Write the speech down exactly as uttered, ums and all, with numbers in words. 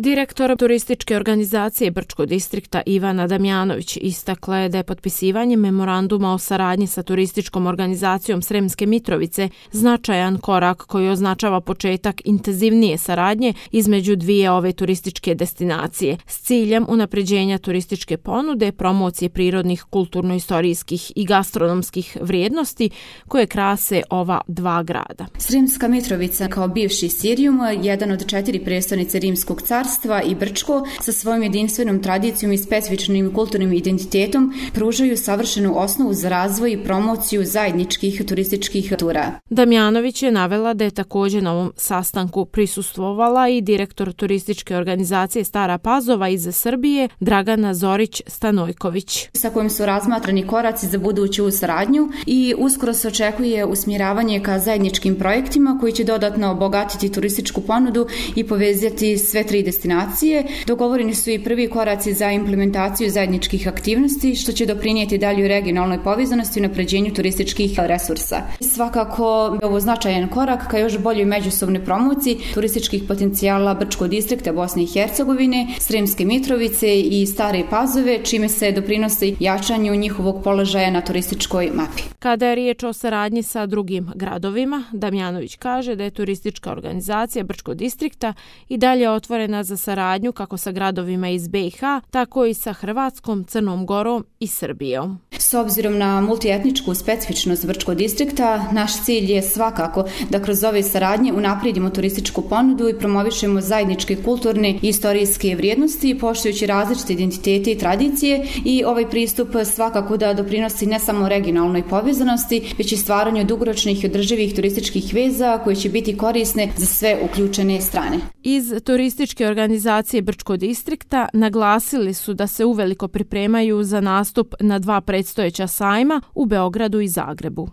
Direktor turističke organizacije Brčko distrikta Ivana Damjanović istakla je da je potpisivanje memoranduma o saradnji sa turističkom organizacijom Sremske Mitrovice značajan korak koji označava početak intenzivnije saradnje između dvije ove turističke destinacije s ciljem unapređenja turističke ponude, promocije prirodnih, kulturno-istorijskih i gastronomskih vrijednosti koje krase ova dva grada. Sremska Mitrovica kao bivši Sirijum, jedan od četiri prestonice Rimskog carstva i Brčko sa svojom jedinstvenom tradicijom i specifičnim kulturnim identitetom pružaju savršenu osnovu za razvoj i promociju zajedničkih turističkih tura. Damjanović je navela da je također na ovom sastanku prisustvovala i direktor turističke organizacije Stara Pazova iz Srbije Dragana Zorić-Stanojković, sa kojim su razmatrani koraci za buduću saradnju i uskoro se očekuje usmjeravanje ka zajedničkim projektima koji će dodatno obogatiti turističku ponudu i povezati sve tri destinacije. Dogovoreni su i prvi koraci za implementaciju zajedničkih aktivnosti, što će doprinijeti daljoj regionalnoj povezanosti i unapređenju turističkih resursa. Svakako je ovo značajan korak ka još boljoj međusobnoj promociji turističkih potencijala Brčkog distrikta Bosne i Hercegovine, Sremske Mitrovice i Stare Pazove, čime se doprinosi jačanju njihovog položaja na turističkoj mapi. Kada je riječ o saradnji sa drugim gradovima, Damjanović kaže da je turistička organizacija Brčkog distrikta i dalje otvorena za saradnju kako sa gradovima iz be i ha, tako i sa Hrvatskom, Crnom Gorom i Srbijom. S obzirom na multietničku specifičnost Brčkog distrikta, naš cilj je svakako da kroz ove saradnje unaprijedimo turističku ponudu i promovišemo zajedničke kulturne i istorijske vrijednosti, poštujući različite identitete i tradicije, i ovaj pristup svakako da doprinosi ne samo regionalnoj povezanosti, već i stvaranju dugoročnih i održivih turističkih veza koje će biti korisne za sve uključene strane. Iz turističke organizacije Brčkog distrikta naglasili su da se uveliko pripremaju za nastup na dva predstojeća sajma u Beogradu i Zagrebu.